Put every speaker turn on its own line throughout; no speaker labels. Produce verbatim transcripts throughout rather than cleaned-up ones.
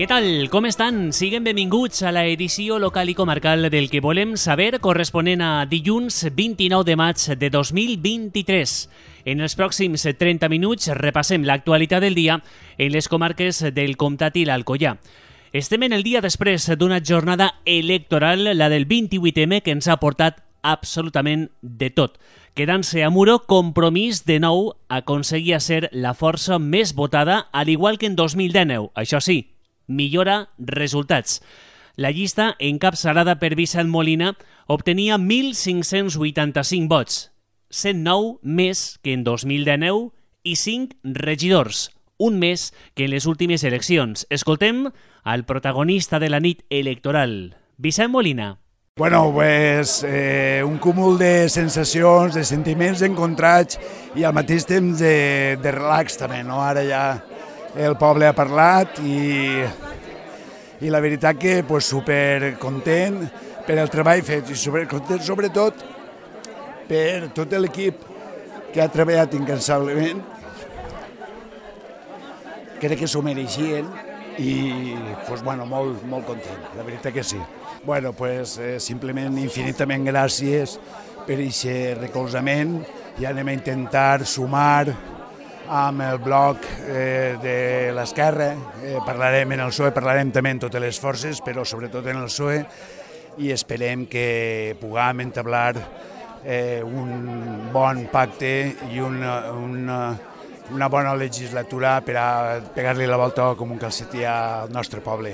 Què tal? Com estan? Siguen benvinguts a la edició local i comarcal del que volem saber, corresponent a dilluns vint-i-nou de maig de dos mil vint-i-tres. En els pròxims trenta minuts repassem l'actualitat del dia en les comarques del Comtat i l'Alcoià. Estem en el dia després d'una jornada electoral, la del vint-i-vuit eme, que ens ha portat absolutament de tot. Quedant-se a Muro, Compromís de nou aconseguia ser la força més votada, al igual que en dos mil dinou. Això sí, millora resultats. La llista, encapçalada per Vicent Molina, obtenia mil cinc-cents vuitanta-cinc vots, cent nou més que en dos mil dinou i cinc regidors, un més que en les últimes eleccions. Escoltem al protagonista de la nit electoral, Vicent Molina.
Bueno, pues, eh, un cúmul de sensacions, de sentiments encontrats i al mateix temps de, de relax també, no? Ara ja el poble ha parlat i, i la veritat que pues, super content per el treball fet i super content sobretot per tot l'equip que ha treballat incansablement. Crec que s'ho mereixien i pues, bueno, molt, molt content, la veritat que sí. Bueno, pues, eh, simplement infinitament gràcies per aquest recolzament i anem a intentar sumar amb el bloc eh, de l'esquerra. Eh, parlarem en el P S O E, parlarem també en totes les forces, però sobretot en el P S O E, i esperem que puguem entablar eh, un bon pacte i una, una, una bona legislatura per a pegar-li la volta com un calcetí al nostre poble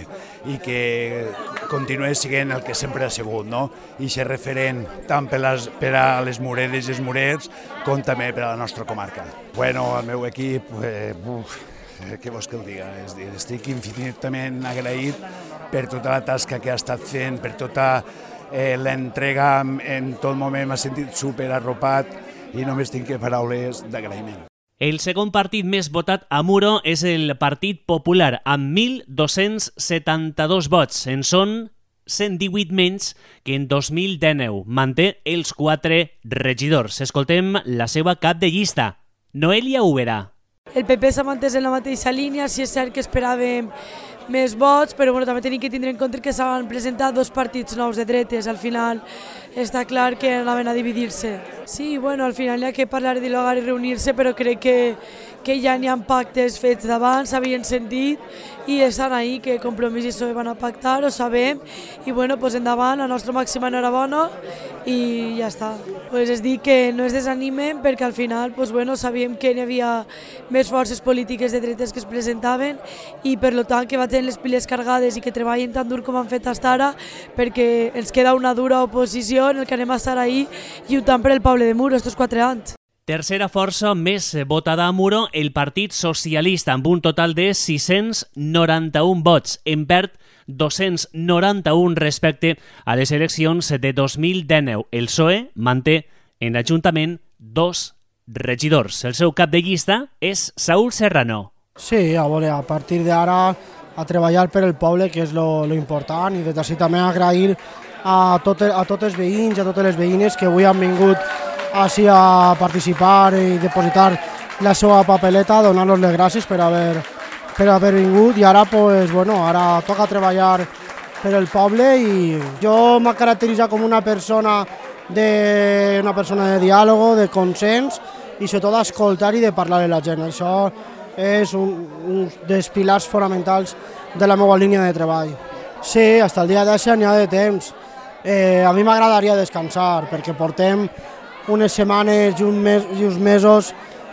i que continuï sent el que sempre ha sigut, no? I ser referent tant per, les, per a les mureres i els murers com també per a la nostra comarca. Bueno, el meu equip, eh, uf, què vols que el diga? És dir, estic infinitament agraït per tota la tasca que ha estat fent, per tota eh, l'entrega, en tot moment m'ha sentit super arropat i només tinc paraules d'agraïment.
El segon partit més votat a Muro és el Partit Popular, amb mil dos-cents setanta-dos vots. En són cent divuit menys que en dos mil dinou. Manté els quatre regidors. Escoltem la seva cap de llista, Noelia Úbeda.
El P P s'ha mantès en la mateixa línia, si és cert que esperàvem més vots, però bueno, també tenim que tindre en compte que s'han presentat dos partits nous de dretes. Al final està clar que anaven a dividir-se. Sí, bueno, al final hi ha que parlar de dialogar i reunir-se, però crec que, que ja n'hi ha pactes fets d'abans, s'havien sentit i estan ahí, que Compromís i P S O E van a pactar, ho sabem, i bueno, pues endavant, la nostra màxima enhorabona i ja està. Pues és dir que no es desanimen perquè al final pues bueno, sabíem que hi havia més forces polítiques de dretes que es presentaven i per tant que va tenir les piles cargades i que treballen tan dur com han fet fins ara perquè ens queda una dura oposició en el que anem a estar ahí lluitant per el poble de Muro estos quatre anys.
Tercera força més votada a Muro, el Partit Socialista, amb un total de sis-cents noranta-un vots. En perd dos-cents noranta-un respecte a les eleccions de dos mil dinou. El P S O E manté en l'Ajuntament dos regidors. El seu cap de llista és Saúl Serrano.
Sí, a veure, a partir d'ara a treballar per el poble, que és lo, lo important, i des d'ací també agrair a, tot, a tots els veïns i a totes les veïnes que avui han vingut així a participar i depositar la seva papeleta, donar-los les gràcies per haver, per haver vingut i ara, pues, bueno, ara toca treballar per el poble i jo m'he caracteritzat com una persona de, una persona de diàleg, de consens i sobretot d'escoltar i de parlar amb la gent. Això és un, un dels pilars fonamentals de la meva línia de treball. Sí, fins el dia d'ara n'hi ha de temps. Eh, a mi m'agradaria descansar perquè portem unes setmanes i, un mes, i uns mesos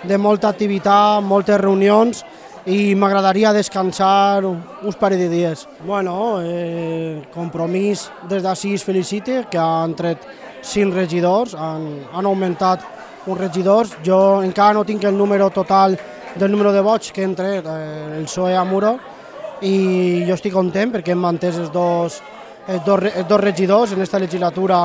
de molta activitat, moltes reunions i m'agradaria descansar uns parell de dies. Bueno, eh, Compromís des d'ací es felicita que han tret cinc regidors, han, han augmentat uns regidors. Jo encara no tinc el número total del número de vots que han tret eh, el P S O E a Muro i jo estic content perquè hem mantès els dos, els dos, els dos regidors en aquesta legislatura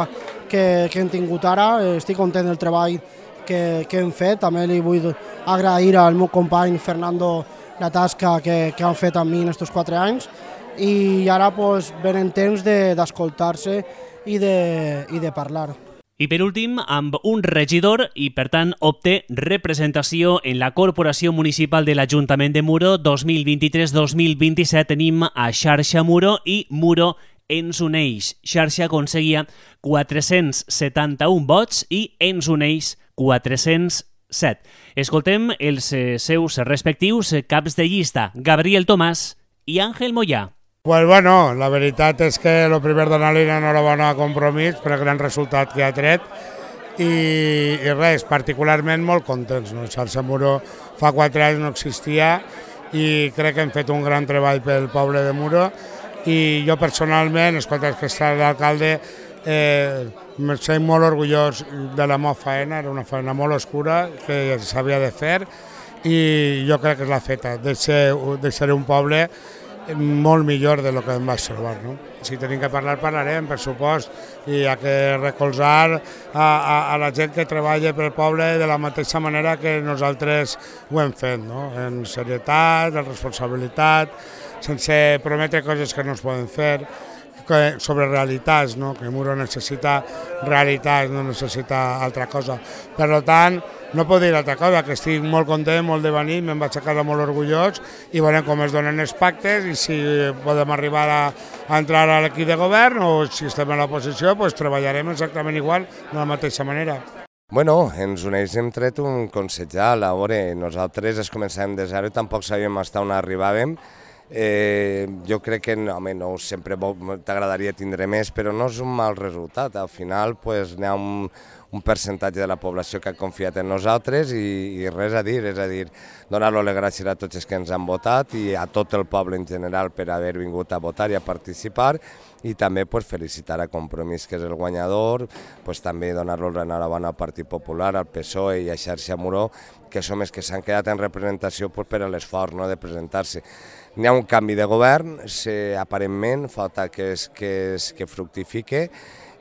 que, que hem tingut ara. Estic content del treball que, que hem fet. També li vull agrair al meu company Fernando la tasca que, que han fet amb mi en aquests quatre anys i ara pues, venen temps d'escoltar-se de, i, de, i de parlar.
I per últim, amb un regidor i, per tant, obté representació en la Corporació Municipal de l'Ajuntament de Muro dos mil vint-i-tres dos mil vint-i-set, tenim a Xarxa Muro i Muro ens uneix. Xarxa aconseguia quatre-cents setanta-un vots i ens uneix quatre-cents set. Escoltem els seus respectius caps de llista, Gabriel Tomàs i Àngel Moyà.
Pues bueno, la veritat és que el primer donar-li enhorabona a Compromís per el gran resultat que ha tret i, i res, particularment molt contents. No? Xarxa Muro fa quatre anys no existia i crec que hem fet un gran treball pel poble de Muro i jo personalment, escolta, que està l'alcalde, eh, me sent molt orgullós de la meva feina, era una feina molt oscura que s'havia de fer i jo crec que l'ha feta, de ser, de ser un poble molt millor de lo que em vaig trobar. No? Si tenim que parlar, parlarem, per supost, i hi ha que recolzar a, a, a la gent que treballa pel poble de la mateixa manera que nosaltres ho hem fet, no? En serietat, en responsabilitat, sense prometre coses que no es poden fer, sobre realitats, no? Que Muro necessita realitats, no necessita altra cosa. Per tant, no puc dir altra cosa, que estic molt content, molt de venir, me'n vaig a casa molt orgullós i veurem com es donen els pactes i si podem arribar a, a entrar a l'equip de govern o si estem a l'oposició, pues treballarem exactament igual, de la mateixa manera.
Bueno, ens uneix, hem tret un consellal, a veure, nosaltres es començàvem de zero i tampoc sabíem fins on arribàvem. Eh, jo crec que home, no, sempre t'agradaria tindre més, però no és un mal resultat. Al final pues, hi ha un, un percentatge de la població que ha confiat en nosaltres i, i res a dir, és a dir, donar-los les gràcies a tots els que ens han votat i a tot el poble en general per haver vingut a votar i a participar i també pues, felicitar a Compromís, que és el guanyador, pues, també donar-los l'enhorabona al Partit Popular, al P S O E i a Xarxa Muro, que som els que s'han quedat en representació pues, per l'esforç no, de presentar-se. N'hi ha un canvi de govern, se, aparentment falta que, es, que, es, que fructifique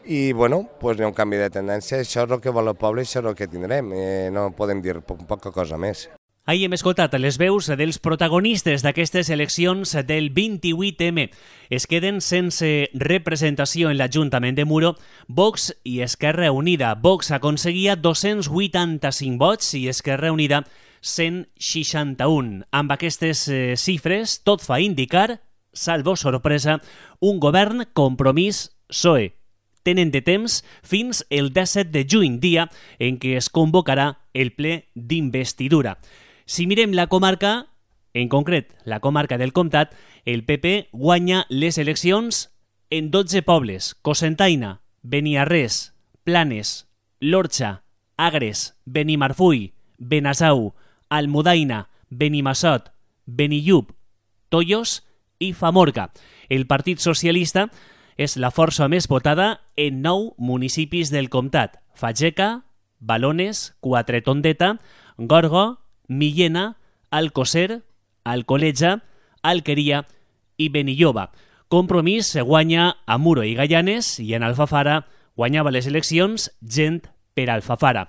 i bueno, pues n'hi ha un canvi de tendència, això és el que vol el poble i això és el que tindrem, eh, no podem dir po poca cosa més.
Ahir hem escoltat les veus dels protagonistes d'aquestes eleccions del vint-i-vuit eme. Es queden sense representació en l'Ajuntament de Muro Vox i Esquerra Unida. Vox aconseguia dos-cents vuitanta-cinc vots i Esquerra Unida cent seixanta-un. Amb aquestes eh, xifres, tot fa indicar, salvo sorpresa, un govern Compromís P S O E. Tenen de temps fins el disset de juny, dia en què es convocarà el ple d'investidura. Si mirem la comarca, en concret la comarca del Comtat, el P P guanya les eleccions en dotze pobles: Cocentaina, Beniarrés, Planes, l'Orxa, Agres, Benimarfull, Benasau, Almudaina, Benimassot, Benillup, Tollos i Famorca. El Partit Socialista és la força més votada en nou municipis del comtat: Fageca, Balones, Quatretondeta, Gorga, Millena, Alcocer, Alcoleja, Alqueria i Benilloba. Compromís se guanya a Muro i Gaianes i en Alfafara guanyava les eleccions gent per Alfafara.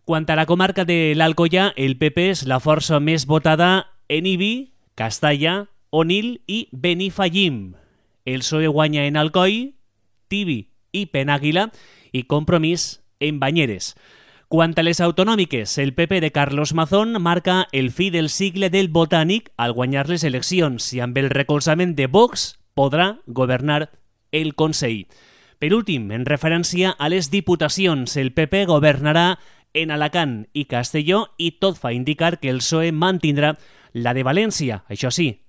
Quant a la comarca de l'Alcoia, el P P és la força més votada en Ibi, Castalla, Onil i Benifallim. El P S O E guanya en Alcoi, Tibi i Penàguila i Compromís en Banyeres. Quant a les autonòmiques, el P P de Carlos Mazón marca el fi del cicle del Botànic al guanyar les eleccions i amb el recolzament de Vox podrà governar el Consell. Per últim, en referència a les diputacions, el P P governarà en Alacant i Castelló i tot fa indicar que el P S O E mantindrà la de València. Això sí,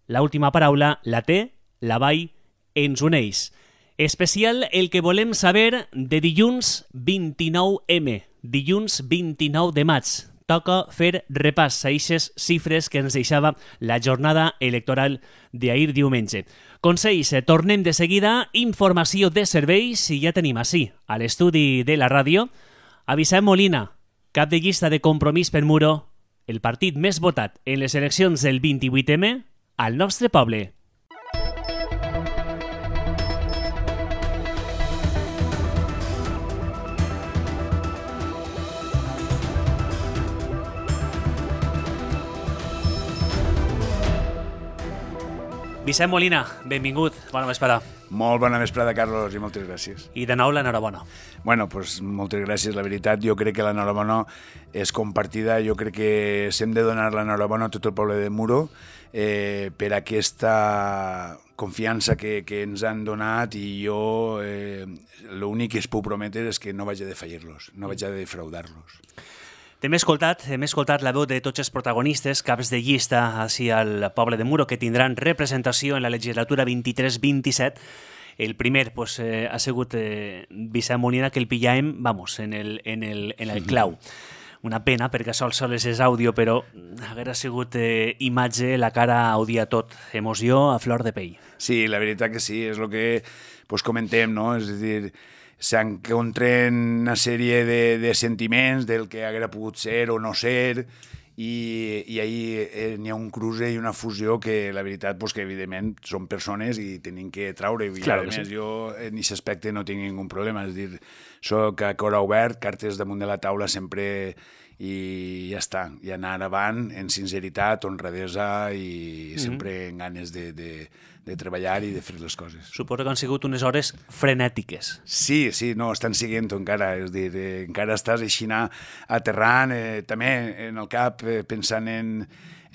l'última paraula la té la Vall ens uneix. Especial el que volem saber de dilluns vint-i-nou eme, dilluns vint-i-nou de maig. Toca fer repàs a aquestes xifres que ens deixava la jornada electoral d'ahir diumenge. Consells, tornem de seguida. Informació de serveis i ja tenim així, a l'estudi de la ràdio, a Vicent Molina, cap de llista de Compromís per Muro, el partit més votat en les eleccions del vint-i-vuit eme al nostre poble. Vicent Molina, benvingut, bona vesprada.
Molt bona vesprada, Carlos, i moltes gràcies.
I de nou l'enhorabona.
Bueno, pues, moltes gràcies, la veritat. Jo crec que l'enhorabona és compartida. Jo crec que s'hem de donar l'enhorabona a tot el poble de Muro eh, per aquesta confiança que, que ens han donat, i jo eh, l'únic que es puc prometre és que no vaig a defallir-los, no vaig a defraudar-los.
Hem escoltat, hem escoltat la veu de tots els protagonistes, caps de llista així al poble de Muro, que tindran representació en la legislatura vint-i-tres vint-i-set. El primer pues, eh, ha sigut eh, Vicent Molina, que el pillàvem, vamos, en el, en el, en el clau. Una pena, perquè sol sols és àudio, però haguera sigut eh, imatge, la cara audia tot, emoció a flor de pell.
Sí, la veritat que sí, és el que pues, comentem, no? És a dir, s'encontren una sèrie de, de sentiments del que haguera pogut ser o no ser, i, i ahir eh, n'hi ha un cruce i una fusió que la veritat pues, que evidentment són persones i tenim que traure, i claro, a més sí. Jo en aquest aspecte no tinc ningú problema, és dir, soc a cor obert, cartes damunt de la taula sempre, i ja està, i anar avant en sinceritat, honradesa i mm-hmm. sempre en ganes de, de, de treballar i de fer les coses.
Suposo que han sigut unes hores frenètiques.
Sí, sí, no, estan siguent encara, és dir, eh, encara estàs així aterrant, eh, també en el cap eh, pensant en,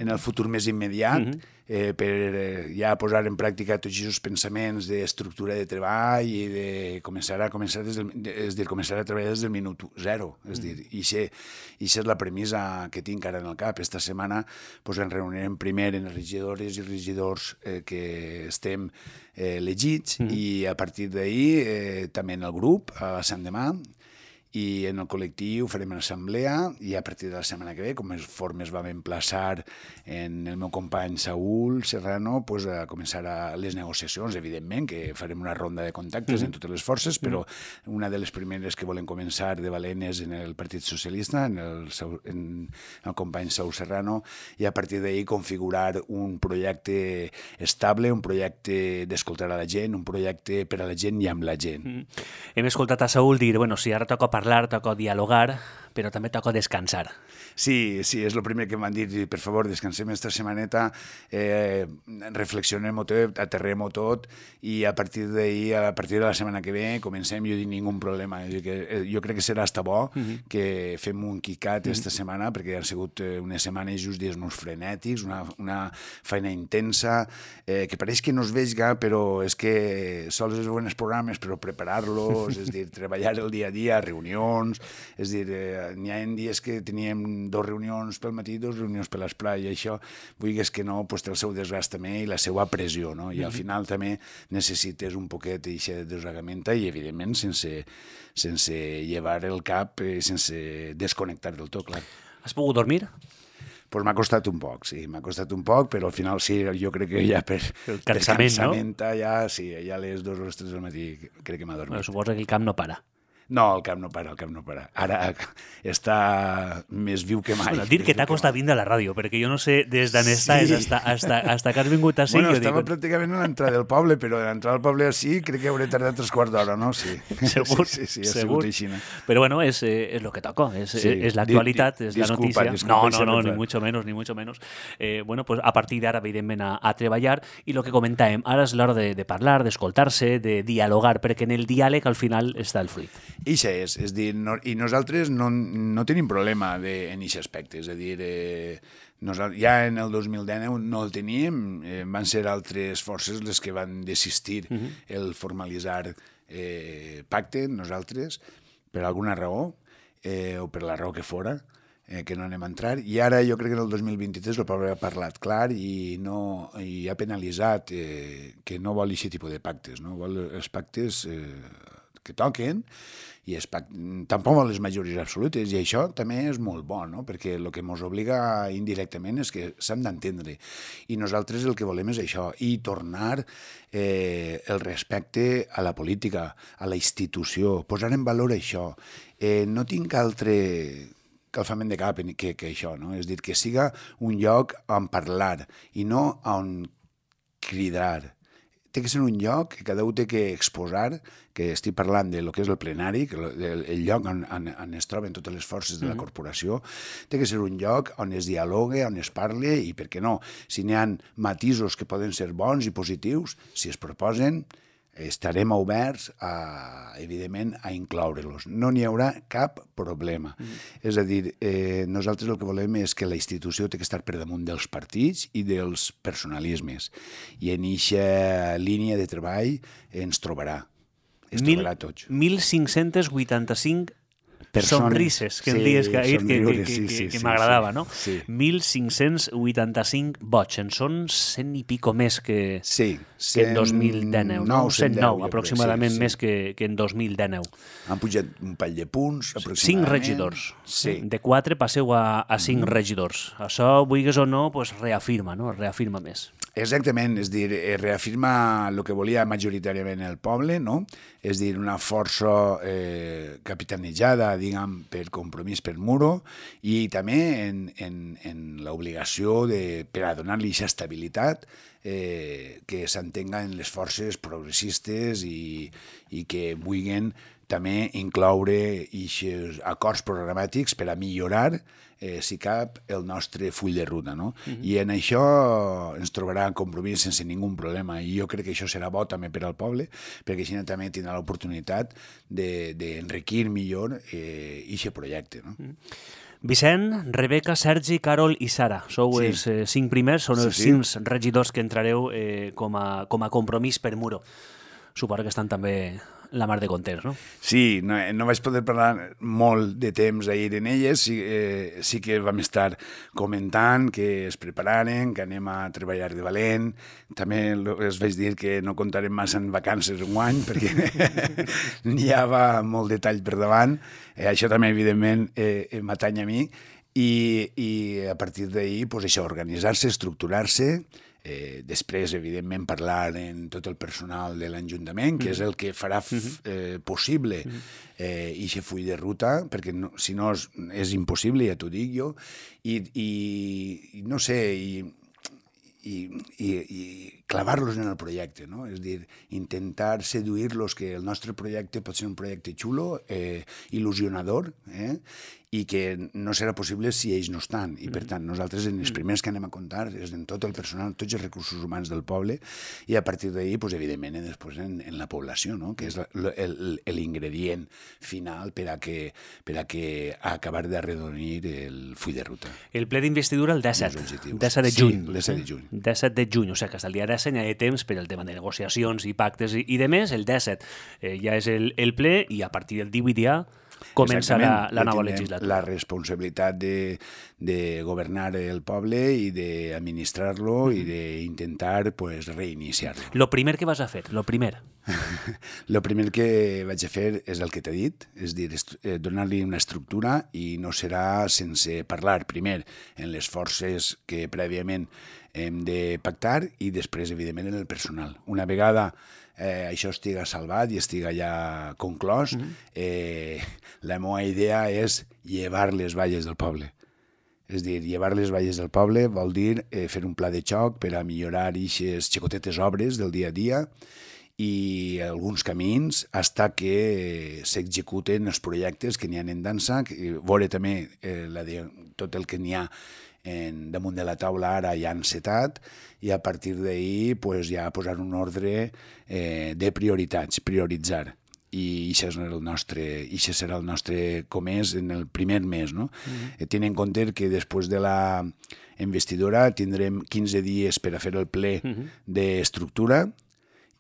en el futur més immediat, mm-hmm. eh, per eh, ja posar en pràctica tots aquests pensaments d'estructura de treball i de començar a, començar des del, és dir, començar a treballar des del minut zero. És mm-hmm. dir, i això és la premissa que tinc ara en el cap. Esta setmana pues, ens reunirem primer en les regidores i regidors eh, que estem eh, elegits, mm-hmm. i a partir d'ahir eh, també en el grup, a la Sant Demà, i en el col·lectiu farem una assemblea, i a partir de la setmana que ve, com es formes vam emplaçar en el meu company Saúl Serrano, pues, a començar a les negociacions, evidentment, que farem una ronda de contactes mm-hmm. en totes les forces, però mm-hmm. una de les primeres que volem començar de valent és en el Partit Socialista, en el, en el company Saúl Serrano, i a partir d'ahir configurar un projecte estable, un projecte d'escoltar a la gent, un projecte per a la gent i amb la gent.
Mm. Hem escoltat a Saúl dir, bueno, si ara toca parlar, toca dialogar, però també toca descansar.
Sí, sí, és el primer que m'han dit, per favor, descansem esta setmaneta, eh, reflexionem-ho tot, aterrem-ho tot, i a partir d'ahir, a partir de la setmana que ve, comencem, jo dic ningú problema. Jo, que, eh, jo crec que serà hasta bo mm-hmm. que fem un quicat esta mm-hmm. setmana, perquè han sigut eh, unes setmanes just dies uns frenètics, una, una feina intensa, eh, que pareix que no es veiga, però és que sols és bons programes, però preparar-los, és dir, treballar el dia a dia, reunions, és dir, eh, n'hi ha dies que teníem dos reunions pel matí, dos reunions per l'esplai, i això, vulguis que no, pues, té el seu desgast també i la seva pressió, no? I al final també necessites un poquet d'aquesta desregament i, evidentment, sense, sense llevar el cap, eh, sense desconnectar del tot, clar.
Has pogut dormir?
Pues m'ha costat un poc, sí, m'ha costat un poc, però al final sí, jo crec que ja per
el cansament,
cansament, no? Ja, sí, ja a les dues o les tres del matí crec que m'ha dormit.
Bueno, suposo que el camp no para.
No, el camp no para, el camp no para. Ara està més viu que mai.
Bueno, dir que t'ha costat vindre a la ràdio, perquè jo no sé des d'on estàs sí. hasta, hasta, hasta que has vingut així.
Bueno,
jo
estava
dic...
pràcticament a l'entrada del poble, però a l'entrada del poble així crec que hauré tardat tres quarts d'hora, no? Sí.
Segur,
sí, sí, sí, ha
segur.
sigut així. No?
Però bueno, és, és lo que toca, és, sí. és l'actualitat, és la
disculpa,
notícia.
Disculpa,
no, no, no, ni mucho menos, ni mucho menos. Eh, bueno, pues a partir d'ara, evidentment, a, a treballar, i el que comentàvem, ara és l'hora de, de parlar, d'escoltar-se, de dialogar, perquè en el diàleg al final està el fruit.
I això és, és dir, no, i nosaltres no, no tenim problema de, en aquest aspecte, és a dir, eh, nosaltres, ja en el dos mil dinou no el teníem, eh, van ser altres forces les que van desistir uh-huh. el formalitzar eh, pacte, nosaltres, per alguna raó, eh, o per la raó que fora, eh, que no anem a entrar, i ara jo crec que en el dos mil vint-i-tres el poble ha parlat clar i, no, i ha penalitzat eh, que no vol aquest tipus de pactes, no vol els pactes eh, que toquen, i es, tampoc vol les majories absolutes, i això també és molt bo, no? Perquè el que ens obliga indirectament és que s'han d'entendre, i nosaltres el que volem és això, i tornar eh, el respecte a la política, a la institució, posar en valor això. Eh, no tinc altre calfament de cap que, que això, no? És dir, que siga un lloc on parlar i no on cridar. té que ser un lloc que cada un té que exposar, que estic parlant de lo que és el plenari, que el, el lloc on, on, on es troben totes les forces de la corporació, té que ser un lloc on es dialogue, on es parle, i per què no? Si n'hi ha matisos que poden ser bons i positius, si es proposen, estarem oberts, a, evidentment, a incloure-los. No n'hi haurà cap problema. Mm. És a dir, eh, nosaltres el que volem és que la institució té que estar per damunt dels partits i dels personalismes. I en eixa línia de treball ens trobarà. Ens
Mil,
trobarà tots.
mil cinc-cents vuitanta-cinc
Persones.
Sonrises, que em
Sí,
dies que, que, que,
somriures,
que,
sí,
que,
sí,
que
sí,
m'agradava,
sí.
no?
Sí.
mil cinc-cents vuitanta-cinc vots, en són cent i pico més que,
Sí,
que en dos mil dinou, no? cent nou, aproximadament
sí, sí.
més que, que en dos mil dinou.
Han pujat un pall de punts, aproximadament.
Cinc regidors.
Sí.
De quatre passeu a, a cinc mm. regidors. Això, vulguis o no, pues reafirma, no? Reafirma més.
Exactament, és dir, reafirma el que volia majoritàriament el poble, no? És dir, una força eh, capitanejada, diguem, per Compromís per Muro, i també en, en, en l'obligació de, per a donar-li aquesta estabilitat, eh, que s'entenga en les forces progressistes i, i que vulguin també incloure aquests acords programàtics per a millorar, eh, si cap, el nostre full de ruta, no? Mm-hmm. I en això ens trobarà en Compromís sense ningú problema, i jo crec que això serà bo també per al poble, perquè així també tindrà l'oportunitat d'enriquir de, millor eh, aquest projecte, no? Mm.
Vicent, Rebeca, Sergi, Carol i Sara. Sou sí. els eh, cinc primers, són sí, els sí. cinc regidors que entrareu eh, com, a, com a Compromís per Muro. Suposo que estan també la mar de contents, no?
Sí, no, no vaig poder parlar molt de temps ahir en elles, sí, eh, sí que vam estar comentant que es prepararen, que anem a treballar de valent, també els vaig dir que no comptarem massa en vacances un any, perquè n'hi havia molt detall per davant, eh, això també evidentment eh, m'atany a mi, i, i a partir d'ahir, pues, això, organitzar-se, estructurar-se, Eh, després, evidentment, parlar en tot el personal de l'Ajuntament, que mm. és el que farà eh, possible eh, aquest full de ruta, perquè no, si no és, és impossible, ja t'ho dic jo, i, i, i no sé, i, i, i, i clavar-los en el projecte, no? És dir, intentar seduir-los que el nostre projecte pot ser un projecte xulo, eh, il·lusionador, eh? i que no serà possible si ells no estan. I, per tant, nosaltres en els primers que anem a comptar és en tot el personal, tots els recursos humans del poble, i a partir d'ahir, pues, evidentment, després en, en la població, no? Que és l'ingredient final per a que, per a que a acabar d'arredonir el full de ruta.
El ple d'investidura el disset, disset de juny.
Sí, el disset de juny.
disset de juny, o sigui que fins al dia disset hi ha temps per al tema de negociacions i pactes i, i de més. El disset eh, ja és el, el ple, i a partir del divuit ja comença la, la nova legislatura.
La responsabilitat de, de governar el poble i d'administrar-lo mm-hmm. i d'intentar, pues, reiniciar-lo.
Lo primer que vas a fer, lo primer?
Lo primer que vaig a fer és el que t'he dit, és dir, donar-li una estructura, i no serà sense parlar primer en les forces que prèviament hem de pactar i després, evidentment, en el personal. Una vegada eh, això estiga salvat i estiga ja conclòs, mm-hmm. eh, la meva idea és llevar les valles del poble. És dir, llevar les valles del poble vol dir eh, fer un pla de xoc per a millorar aquestes xicotetes obres del dia a dia i alguns camins fins que s'executen els projectes que n'hi ha en dansa, que, veure també eh, la de, tot el que n'hi ha en, damunt de la taula ara ja encetat, i a partir d'ahir pues, ja posar un ordre eh, de prioritats, prioritzar. I això serà el nostre, això serà el nostre comès en el primer mes, no? Mm-hmm. Tenint en compte que després de la investidura tindrem quinze dies per a fer el ple mm-hmm. d'estructura,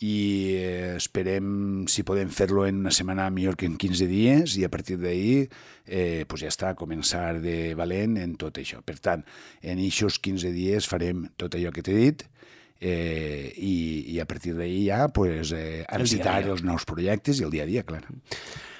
i esperem, si podem fer-lo en una setmana, millor que en quinze dies, i a partir d'ahir eh, pues ja està, a començar de valent en tot això. Per tant, en aquests quinze dies farem tot allò que t'he dit, eh, i, i a partir d'ahir ja pues, eh, encetar els nous projectes i el dia a dia, clar.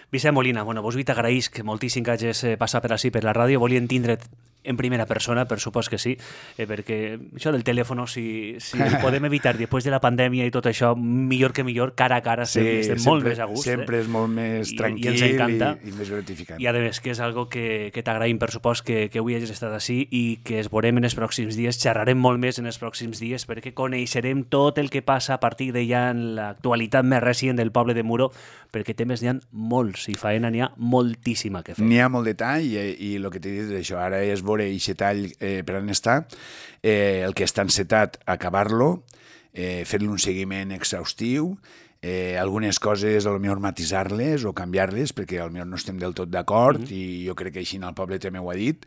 Vicent Molina, bueno, vos vi t'agraïsc moltíssim que hagis passat per així per la ràdio, volien tindre't en primera persona, per supost que sí, eh, perquè això del telèfon, si, si el podem evitar després de la pandèmia i tot això, millor que millor, cara a cara, sí, estem sempre, molt més a gust.
Sempre eh? és molt més tranquil i, i, i, i més gratificant.
I a més, que és algo que, que t'agraïm, per supost, que, que avui hagis estat així i que es veurem en els pròxims dies, xerrarem molt més en els pròxims dies, perquè coneixerem tot el que passa a partir de ja en l'actualitat més recent del poble de Muro, perquè temes n'hi ha molts, i faena n'hi ha moltíssima que fer.
N'hi ha molt de tall i, i el que t'he dit és això, ara és veure aquest tall eh, per on està, eh, el que està encetat, acabar-lo, eh, fer-li un seguiment exhaustiu, eh, algunes coses a lo millor matisar-les o canviar-les, perquè a lo millor no estem del tot d'acord, mm-hmm. i jo crec que així el poble també ho ha dit,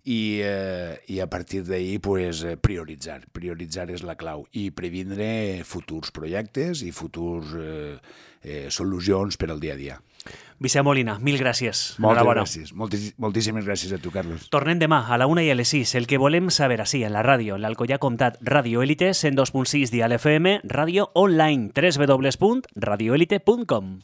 i, eh, i a partir d'ahir pues, prioritzar. Prioritzar és la clau i previndre futurs projectes i futurs eh, eh, solucions per al dia a dia.
Vicent Molina, mil gràcies.
Moltes gràcies. Moltis, moltíssimes gràcies a tu, Carlos.
Tornem demà a la una i a les sis. El que volem saber així, en la ràdio, en l'Alcoyà Comtat, Radio Élite, cent dos punt sis Dial F M, ràdio online, w w w punt radio elite punt com.